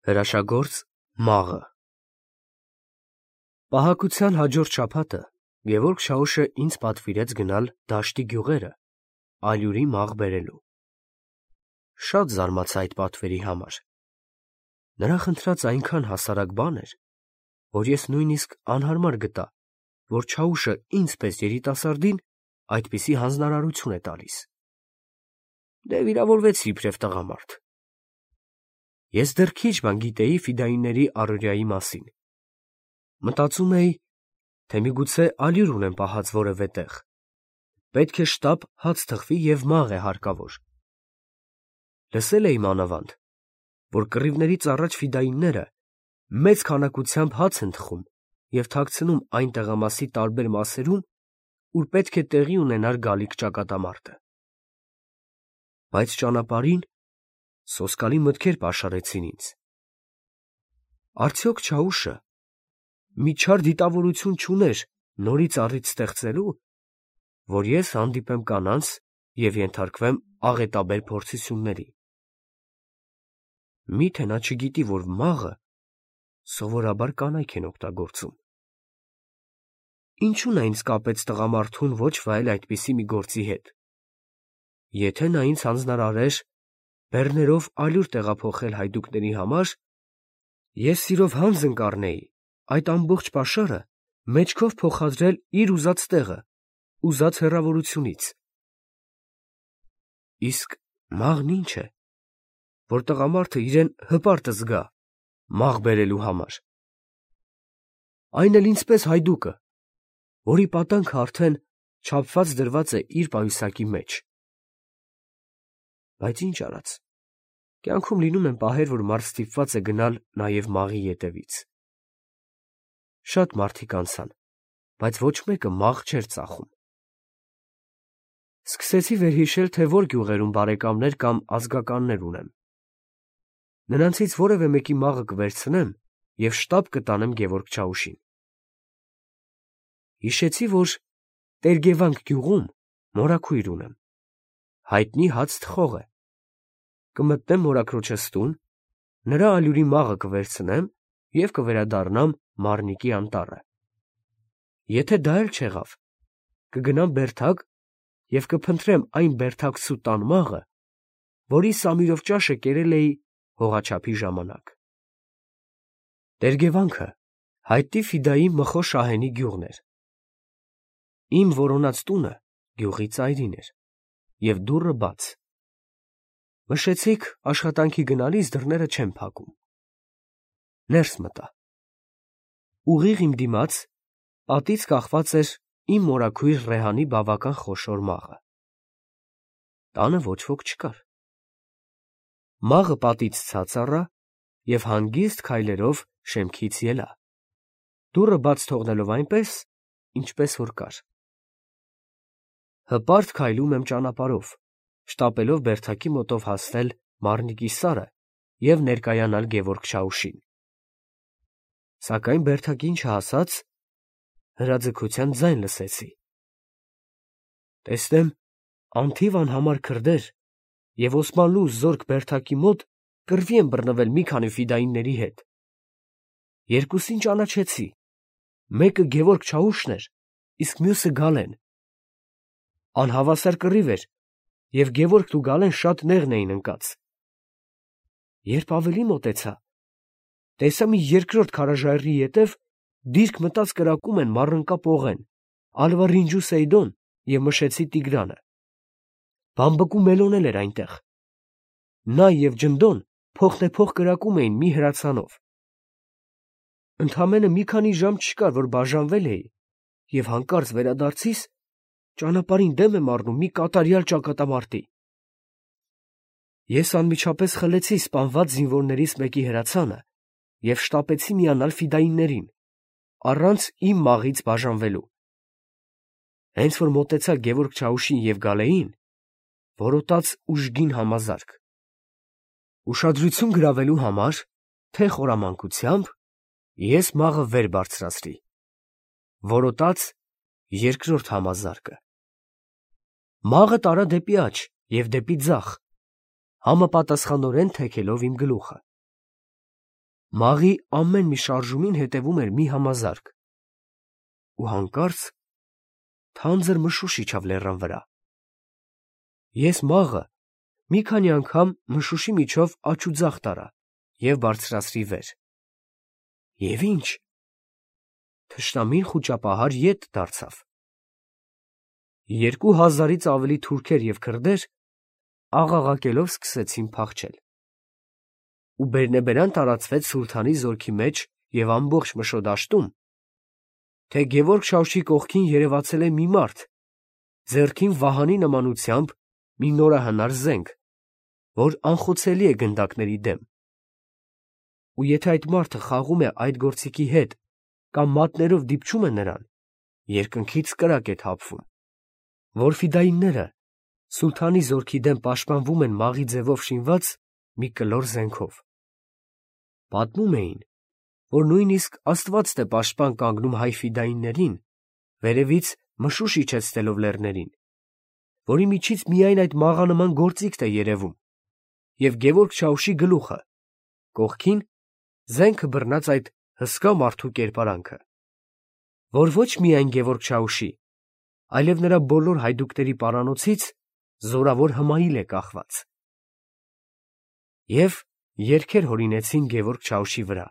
Հրաշագործ մաղը Պահակության հաջորդ շաբաթը Գևորգ Շաուշը ինձ պատվիրեց գնալ Դաշտի գյուղերը ալյուրի մաղ բերելու։ Շատ զարմացա այդ պատվերի համար։ Նրա խնդրած այնքան հասարակ բան էր, որ ես նույնիսկ անհարմար գտա, որ Շաուշը ինձ պես երիտասարդին այդպիսի հանձնարարություն է տալիս։ Դե վիրավորվեցի իբրև տղամարդ։ Ես դեռ քիչ բան գիտեի ֆիդայինների առօրյայի մասին։ Մտածում էի, թե միգուցե ալյուր ունեմ պահած որևէ տեղ։ Պետք է շտապ հաց թխվի և մաղ է հարկավոր։ Լսել էի մանավանդ, որ կռիվներից առաջ ֆիդայինները մեծ քանակությամբ հաց են թխում և թաքցնում այն տեղամասի տարբեր մասերում, ուր պետք է տեղի ունենար գալիք ճակատամարտը։ Բայց ճանապարհին սոսկալի մտքեր պաշարեցին ինձ։ Արդյոք Շաուշը մի չար դիտավորություն չուներ նորից առիթ ստեղծելու, որ ես հանդիպեմ կանանց և ենթարկվեմ աղետաբեր փորձությունների։ Մի՞թե նա չգիտի, որ մաղը սովորաբար կանայք են օգտագործում։ Ինչու՞ն նա ինձ կապեց տղամարդուն ոչ վայել այդպիսի մի գործի հետ։ Եթե նա ինձ հանձնարարեր բեռներով ալյուր տեղափոխել հայդուկների համար, ես սիրով հանձն կառնեի այդ ամբողջ պաշարը մեջքով փոխադրել իր ուզած տեղը, ուզած հեռավորությունից։ Իսկ մաղն ի՞նչ է, որ տղամարդը իրեն հպարտ զգա մաղ բերելու համար։ Այն էլ ինձպես հայդուկը, որի պատանքը արդեն չափված դրված է իր պայուսակի մեջ։ Բայց ինչ արած, կյանքում լինում են պահեր, որ մարդ ստիպված է գնալ նաև մաղի ետևից։ Շատ մարդիկ անցան, բայց ոչ մեկը մաղ չէր ծախում։ Սկսեցի վերհիշել, թե որ գյուղերում բարեկամներ կամ ազգականներ ունեմ։ Նրանցից որևէ մեկի մաղը կվերցնեմ և շտապ կտանեմ Գևորգ Շաուշին։ Հիշեցի, որ Տեր-Գևանք գյուղում մորաքույր ունեմ, հայտնի հաց թխող է։ Կմտնեմ մորաքրոջս տուն, նրա ալյուրի մաղը կվերցնեմ և կվերադառնամ Մարնիկի անտառը։ Եթե դա էլ չեղավ, կգնամ Բերդակ և կփնտրեմ այն բերդակցու տան մաղը, որի Սամիրով ճաշը կերել էի հողաչափի ժամանակ։ Տեր-Գևանքը հայտնի ֆիդայի Մխո Շահենի գյուղն էր։ Իմ որոնած տունը գյուղի ծայրին էր և դուռը բաց։ Նշեցիք, աշխատանքի գնալիս դռները չեմ փակում։ Ներս մտա։ Ուղիղ իմ դիմաց պատից կախված էր իմ մորաքույր Ռեհանի բավական խոշոր մաղը։ Տանը ոչ ոք չկար։ Մաղը պատից ցած առա և հանգիստ քայլերով շեմքից ելա, դուռը բաց թողնելով այնպես, ինչպես որ կար։ Հպարտ քայլում եմ ճանապարհով, շտապելով Բերդակի մոտով հասնել Մարնիկի սարը և ներկայանալ Գևորգ Շաուշին։ Սակայն Բերդակին չհասած, հրաձգության ձայն լսեցի։ Տեսնեմ անթիվ անհամար քրդեր և Օսմանլու զորք Բերդակի մոտ կռվի են բռնվել մի քանի ֆիդայինների հետ։ Երկուսին ճանաչեցի. մեկը Գևորգ Շաուշն էր, իսկ մյուսը Գալեն։ Անհավասար կռիվ էր, և Գևորգն ու Գալեն շատ նեղն էին ընկած։ Երբ ավելի մոտեցա, տեսա մի երկրորդ քարաժայռի ետև դիրք մտած կրակում են Մառընկա Պողեն, Ալվա-Ռինջու Սեյդոն և Մշեցի Տիգրանը։ Բամբկու Մելոն էլ էր այնտեղ։ Նա և Ջնդոն փոխնեպոխ կրակում էին մի հրացանով։ Ընդամենը մի քանի ժամ չկար, որ բաժանվել էի, և հանկարծ վերադարձիս ճանապարհին դեմ եմ առնում մի կատարյալ ճակատամարտի։ Ես անմիջապես խլեցի սպանված զինվորներից մեկի հրացանը և շտապեցի միանալ ֆիդայիններին, առանց իմ մաղից բաժանվելու։ Հենց որ մոտեցա Գևորգ Շաուշին և Գալեին, որոտաց ուժգին համազարկ։ Ուշադրություն գրավելու համար, թե խորամանկությամբ, ես մաղը վեր բարձրացրի։ Որոտաց երկրորդ համազարկը։ Մաղը տարա դեպի աջ և դեպի ձախ, համապատասխանորեն թեքելով իմ գլուխը։ Մաղի ամեն մի շարժումին հետևում էր մի համազարկ, ու հանկարծ թանձր մշուշ իջավ լեռան վրա։ Ես մաղը մի քանի անգամ մշուշի միջով աջ ու ձախ տարա և բարձրացրի վեր։ Եվ ի՞նչ, թշնամին խուճապահար ետ դարձավ։ 2000-ից ավելի թուրքեր և քրդեր աղաղակելով սկսեցին փախչել, ու բերնեբերան տարածվեց սուլթանի զորքի մեջ և ամբողջ Մշոդաշտում, թե Գևորգ Շահուշի կողքին երևացել է մի մարդ, ձեռքին վահանի նմանությամբ մի նորահնար զենք, որ անխոցելի է գնդակների դեմ, ու եթե այդ մարդը խաղում է այդ գործիքի հետ կամ մատներով դիպչում է նրան, երկնքից կրակ է թափվում, որ ֆիդայինները սուլթանի զորքի դեմ պաշտպանվում են մաղի ձևով շինված մի կլոր զենքով։ Պատմում էին, որ նույնիսկ Աստվածն է պաշտպան կանգնում հայ ֆիդայիններին, վերևից մշուշ իջեցնելով լեռներին, որի միջից միայն այդ մաղանման գործիքն է երևում, և Գևորգ Շահուշի գլուխը, կողքին զենքը բռնած այդ հսկա մարդու կերպարանքը, որ ոչ միայն Գևորգ Շահուշի, այլև նրա բոլոր հայդուկների պարանոցից զորավոր հմայիլ է կախված։ Եվ երգեր հորինեցին Գևորգ Շահուշի վրա,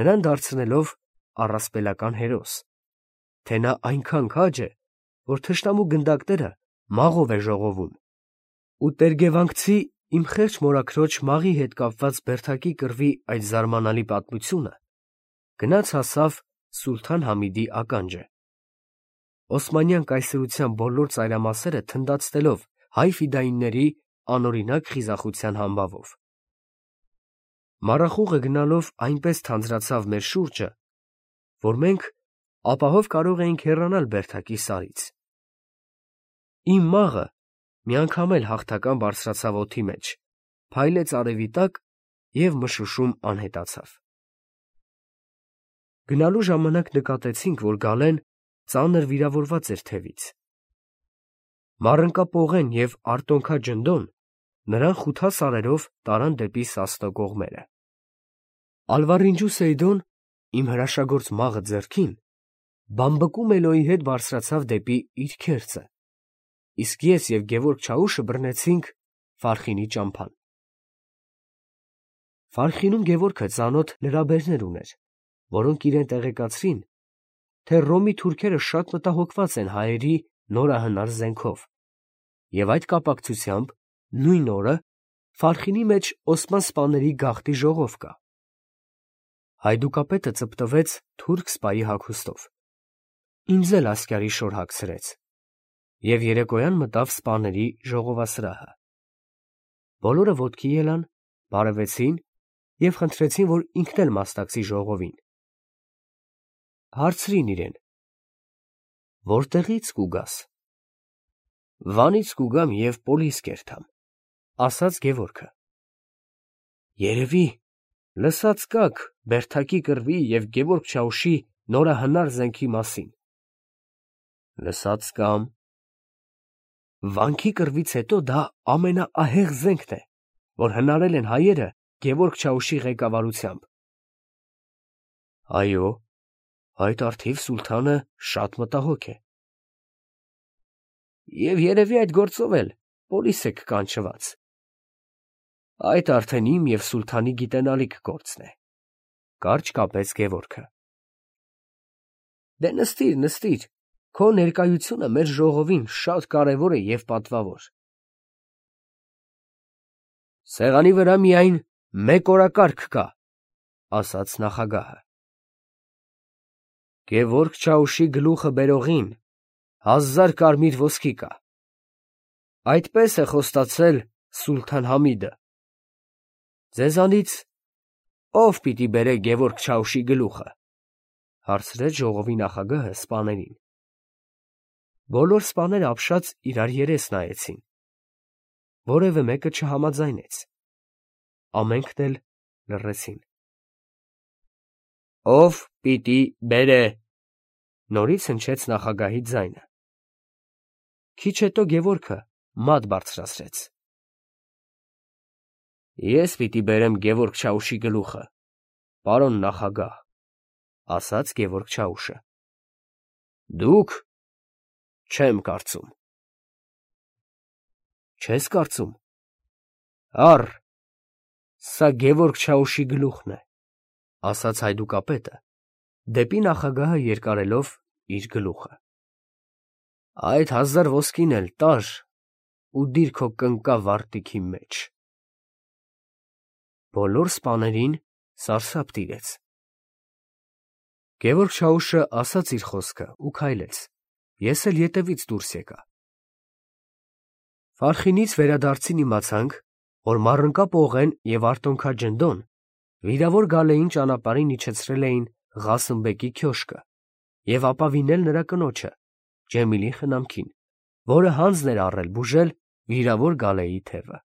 նրան դարձնելով առասպելական հերոս, թե նա այնքան քաջ է, որ թշնամու գնդակները մաղով է ժողովում, ու տերգևանգցի իմ խեղճ մորաքրոջ մաղի հետ կապված բերդակի կռվի այդ զարմանալի պատմությունը գնաց հասավ Սուլթան Համիդի ականջը, Օսմանյան կայսրության բոլոր ծայրամասերը թնդացնելով հայ ֆիդայինների անօրինակ խիզախության համբավով։ Մառախուղը գնալով այնպես թանձրացավ մեր շուրջը, որ մենք ապահով կարող էինք հեռանալ բերդակի սարից։ Իմ մաղը մի անգամ էլ հաղթական բարձրացավ օդի մեջ, փայլեց արևի տակ և մշուշում անհետացավ։ Գնալու ժամանակ նկատեցինք, որ Գալեն ծանր վիրավորված էր թևից։ Մառընկապողեն և արտոնքա ջնդոն նրան խութասարերով տարան դեպի Սասնո կողմերը։ Ալվարինջու Սեյդոն, իմ հրաշագործ մաղը ձեռքին, բամբկում Էլոյի հետ բարձրացավ դեպի իր քերծը, իսկ ես և Գևորգ Շահուշը բռնեցինք Ֆարխինի ճամփան։ Ֆարխինում Գևորգը ծանոթ լրաբերներ ուներ, որոնք իրեն տեղեկացրին, թե Ռոմի թուրքերը շատ մտահոգված են հայերի նորահնար զենքով, և այդ կապակցությամբ նույն օրը Ֆարխինի մեջ օսման սպաների գաղթի ժողով կա։ Հայդուկապետը ծպտվեց թուրք սպայի հագուստով, ինձ էլ ասկյարի շոր հագցրեց, և երեկոյան մտավ սպաների ժողովասրահը։ Բոլորը ոտքի ելան, բարևեցին և խնդրեցին, որ ինքն էլ մասնակցի ժողովին։ Հարցրին իրեն. «Որտեղի՞ց կուգաս»։ «Վանից կուգամ և պոլիս կերտամ», ասաց Գևորգը։ «Երևի լսած կաք Բերդակի կռվի և Գևորգ Շահուշի նորահնար զենքի մասին»։ «Լսած կամ»։ «Վանքի կռվից հետո դա ամենաահեղ զենքն է, որ հնարել են հայերը Գևորգ Շահուշի ղեկավարությամբ»։ «Այո, այդ առթիվ սուլթանը շատ մտահոգ է»։ «Եվ երևի այդ գործով էլ պոլիս եք կանչված»։ «Այդ արդեն իմ և սուլթանի գիտենալիք գործն է», կարճ կապեց Գևորգը։ «Դե նստիր, նստիր, քո ներկայությունը մեր ժողովին շատ կարևոր է և պատվավոր»։ «Սեղանի վրա միայն մեկ օրակարգ կա», ասաց նախագահը։ «Գևորգ Շահուշի գլուխը բերողին 1000 կարմիր ոսկի կա։ Այդպես է խոստացել Սուլթան Համիդը։ Ձեզանից ո՞վ պիտի բերե Գևորգ Շահուշի գլուխը», հարցրեց ժողովի նախագահը սպաներին։ Բոլոր սպաները ապշած իրար երես նայեցին։ Որևէ մեկը չհամաձայնեց։ Ամենքն էլ լռեցին։ «Ո՞վ պիտի բերե», նորից հնչեց նախագահի ձայնը։ Քիչ հետո Գևորգը մատ բարձրացրեց։ «Ես պիտի բերեմ Գևորգ Շահուշի գլուխը», պարոն նախագահ, ասաց Գևորգ Չաուշը։ Դուք, չեմ կարծում։ Չես կարծում։ Առ, սա Գևորգ Չաուշի գլուխն է, ասաց հայդուկապետը, դեպի նախագահը երկարելով իր գլուխը։ Այդ 1000 ոսկին էլ տար ու դիր քո կնկա վարտիքի մեջ։ Բոլոր սպաներին սարսափ տիրեց։ Գևորգ Չաուշը ասաց իր խոսքը ու քայլեց, ես էլ ետևից դուրս եկա։ Ֆարխինից վերադարձին իմացանք, որ Մառընկա Պողեն և Արտոնքա Ջնդոն վիրավոր Գալեին ճանապարհին իջեցրել էին Ղասըմբեկի քյոշկը և ապավինել նրա կնոջը, Ջեմիլի խնամքին, որը հանձն էր առել բուժել վիրավոր Գալեի թևը։